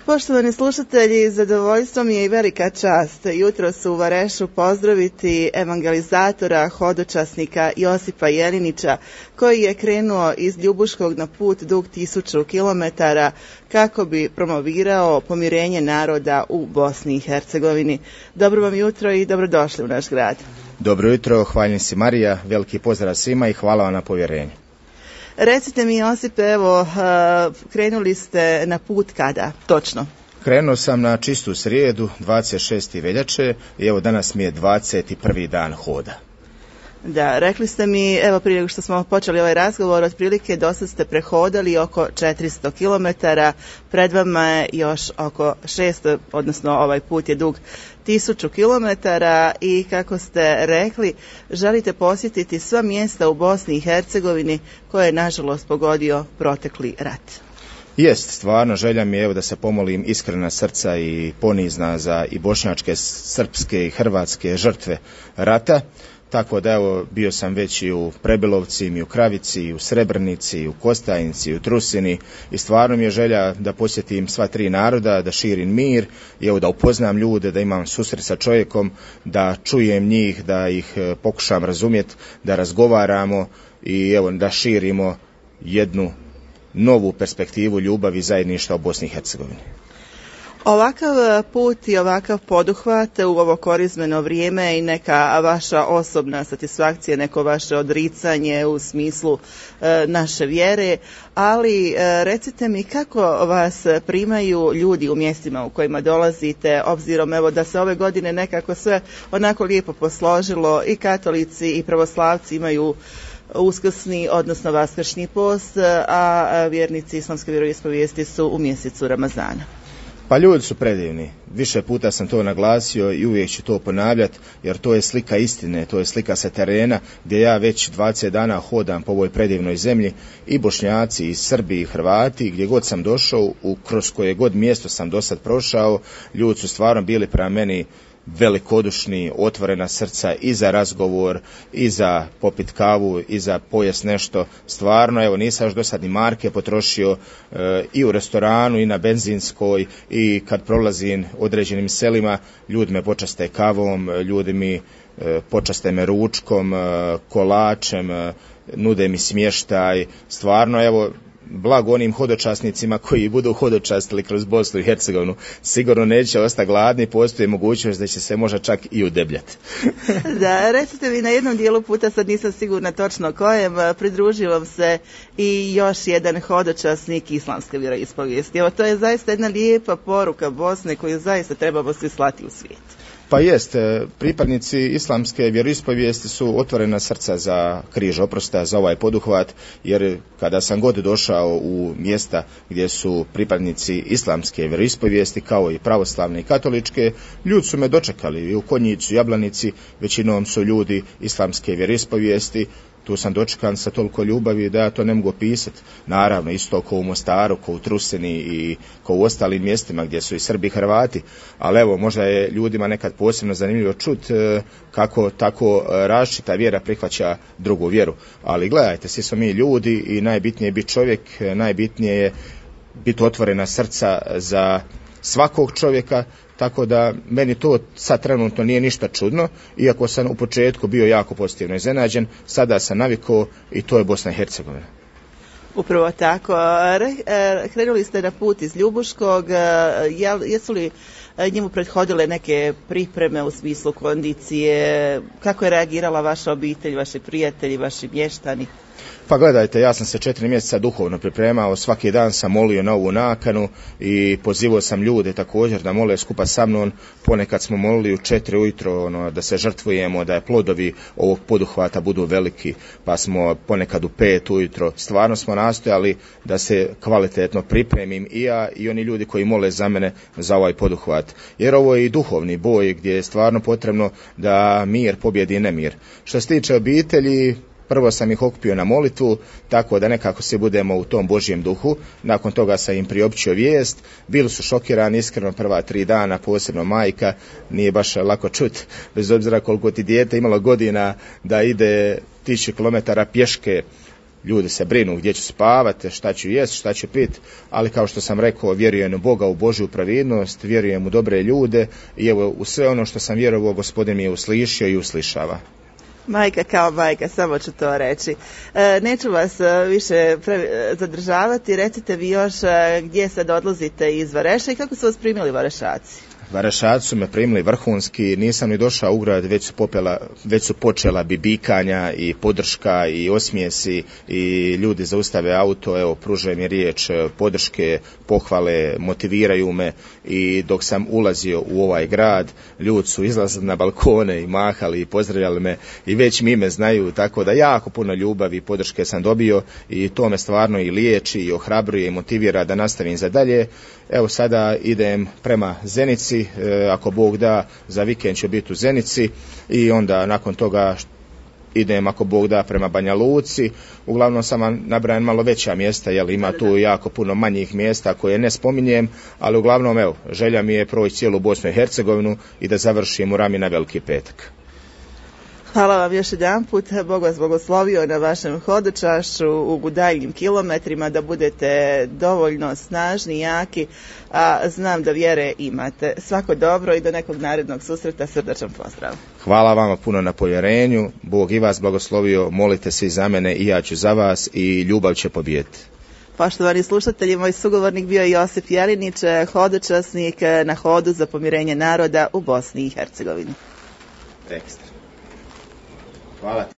Poštovani slušatelji, zadovoljstvo mi je i velika čast jutros u Varešu pozdraviti evangelizatora, hodočasnika Josipa Jelinića, koji je krenuo iz Ljubuškog na put dug 1000 kilometara kako bi promovirao pomirenje naroda u Bosni i Hercegovini. Dobro vam jutro i dobrodošli u naš grad. Dobro jutro, hvaljen si Marija, veliki pozdrav svima i hvala vam na povjerenju. Recite mi, Josipe, evo, krenuli ste na put kada, točno? Krenuo sam na čistu srijedu, 26. veljače, i evo danas mi je 21. dan hoda. Da, rekli ste mi, evo prije nego što smo počeli ovaj razgovor, otprilike dosad ste prehodali oko 400 kilometara, pred vama je još oko 600, odnosno ovaj put je dug 1000 kilometara i kako ste rekli, želite posjetiti sva mjesta u Bosni i Hercegovini koje je nažalost pogodio protekli rat. Jest, stvarno želja mi je evo da se pomolim iskrena srca i ponizna za i bošnjačke, srpske i hrvatske žrtve rata. Tako da evo bio sam već i u Prebilovci, i u Kravici, i u Srebrnici, i u Kostajnici, i u Trusini i stvarno mi je želja da posjetim sva tri naroda, da širim mir i evo da upoznam ljude, da imam susret sa čovjekom, da čujem njih, da ih pokušam razumjeti, da razgovaramo i evo da širimo jednu novu perspektivu ljubavi i zajedništva u Bosni i Hercegovini. Ovakav put i ovakav poduhvat u ovo korizmeno vrijeme i neka vaša osobna satisfakcija, neko vaše odricanje u smislu naše vjere, ali recite mi kako vas primaju ljudi u mjestima u kojima dolazite, obzirom evo da se ove godine nekako sve onako lijepo posložilo, i katolici i pravoslavci imaju uskrsni, odnosno vaskršnji post, a vjernici islamske vjeroispovijesti su u mjesecu Ramazana. Pa ljudi su predivni, više puta sam to naglasio i uvijek ću to ponavljati, jer to je slika istine, to je slika sa terena gdje ja već 20 dana hodam po ovoj predivnoj zemlji, i Bošnjaci, i Srbi, i Hrvati, gdje god sam došao, kroz koje god mjesto sam do sad prošao, ljudi su stvarno bili prema meni velikodušni, otvorena srca i za razgovor, i za popit kavu, i za pojest nešto. Stvarno, evo, nisam još do sad ni marke potrošio, i u restoranu, i na benzinskoj, i kad prolazim određenim selima, ljudi me počaste kavom, ljudi mi počaste me ručkom, kolačem, nude mi smještaj. Stvarno, evo, blago onim hodočasnicima koji budu hodočastili kroz Bosnu i Hercegovinu. Sigurno neće ostati gladni, postoji mogućnost da će se možda čak i udebljati. Da, recite mi, na jednom dijelu puta, sad nisam sigurna točno kojem, pridružio vam se i još jedan hodočasnik islamske vjeroispovijesti. Evo, to je zaista jedna lijepa poruka Bosne koju zaista trebamo svi slati u svijet. Pa jest, pripadnici islamske vjeroispovijesti su otvorena srca za križ oprosta, za ovaj poduhvat, jer kada sam god došao u mjesta gdje su pripadnici islamske vjeroispovijesti, kao i pravoslavne i katoličke, ljudi su me dočekali i u Konjicu, Jablanici, većinom su ljudi islamske vjeroispovijesti. Tu sam dočekan sa toliko ljubavi da ja to ne mogu opisati. Naravno, isto kao u Mostaru, kao u Trusini i kao u ostalim mjestima gdje su i Srbi i Hrvati. Ali evo, možda je ljudima nekad posebno zanimljivo čuti kako tako različita vjera prihvaća drugu vjeru. Ali gledajte, svi smo mi ljudi i najbitnije je biti čovjek, najbitnije je biti otvorena srca za svakog čovjeka, tako da meni to sad trenutno nije ništa čudno, iako sam u početku bio jako pozitivno iznenađen, sada sam navikao i to je Bosna i Hercegovina. Upravo tako. Krenuli ste na put iz Ljubuškog, jesu li njemu prethodile neke pripreme u smislu kondicije, kako je reagirala vaša obitelj, vaši prijatelji, vaši mještani? Pa gledajte, ja sam se 4 mjeseca duhovno pripremao, svaki dan sam molio na ovu nakanu i pozivao sam ljude također da mole skupa sa mnom. Ponekad smo molili u 4 ujutro da se žrtvujemo, da je plodovi ovog poduhvata budu veliki, pa smo ponekad u 5 ujutro. Stvarno smo nastojali da se kvalitetno pripremim i ja i oni ljudi koji mole za mene za ovaj poduhvat. Jer ovo je i duhovni boj gdje je stvarno potrebno da mir pobjedi nemir. Što se tiče obitelji, prvo sam ih okupio na molitvu, tako da nekako se budemo u tom Božjem duhu. Nakon toga sam im priopćio vijest. Bili su šokirani, iskreno, prva 3 dana, posebno majka. Nije baš lako čuti, bez obzira koliko ti dijete imalo godina, da ide 1000 kilometara pješke ljudi se brinu gdje će spavati, šta će jesti, šta će piti, ali kao što sam rekao, vjerujem u Boga, u Božju pravidnost, vjerujem u dobre ljude i evo u sve ono što sam vjerovao, Gospodin mi je uslišio i uslišava. Majka kao majka, samo ću to reći. Neću vas više zadržavati, recite vi još gdje sad odlazite iz Vareša i kako su vas primili Varešaci? Varešaci su me primili vrhunski, nisam ni došao u grad, već su počela bibikanja i podrška i osmijesi i ljudi zaustave auto, evo, pružaju mi riječ podrške, pohvale, motiviraju me i dok sam ulazio u ovaj grad, ljudi su izlazili na balkone i mahali i pozdravljali me i već mi ime znaju, tako da jako puno ljubavi i podrške sam dobio i to me stvarno i liječi i ohrabruje i motivira da nastavim za dalje. Evo sada idem prema Zenici, ako Bog da, za vikend ću biti u Zenici i onda nakon toga idem, ako Bog da, prema Banja Luci. Uglavnom sam vam nabrajan malo veća mjesta, jer ima tu jako puno manjih mjesta koje ne spominjem, ali uglavnom evo, želja mi je proći cijelu Bosnu i Hercegovinu i da završim u Rami na Veliki petak. Hvala vam još jedan put, Bog vas blagoslovio na vašem hodočašću u daljnjim kilometrima, da budete dovoljno snažni, jaki, a znam da vjere imate. Svako dobro i do nekog narednog susreta, srdačan pozdrav. Hvala vama puno na povjerenju, Bog i vas blagoslovio, molite svi za mene i ja ću za vas i ljubav će pobijediti. Poštovani slušatelji, moj sugovornik bio je Josip Jelinić, hodočasnik na hodu za pomirenje naroda u Bosni i Hercegovini. Ekstra. Hvala.